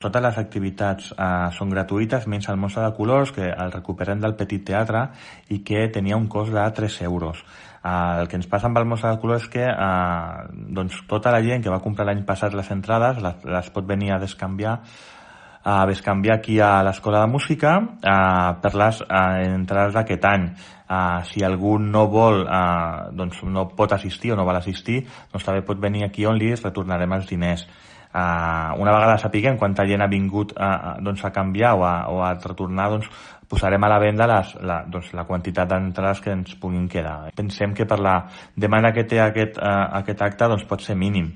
Totes les activitats són gratuïtes, menys el Mostra de Colors, que el recuperem del Petit Teatre i que tenia un cost de 3 euros. El que ens passa amb el Mostra de Colors és que doncs tota la gent que va comprar l'any passat les entrades les pot venir a bescanviar aquí a l'Escola de Música per les entrades d'aquest any. Si algú no vol, doncs no pot assistir o no vol assistir, doncs també pot venir aquí on li retornarem els diners. Una vegada sapiguem quanta gent ha vingut doncs a canviar o a retornar, doncs posarem a la venda la quantitat d'entrades que ens puguin quedar. Pensem que per la demanda que té aquest acte doncs pot ser mínim.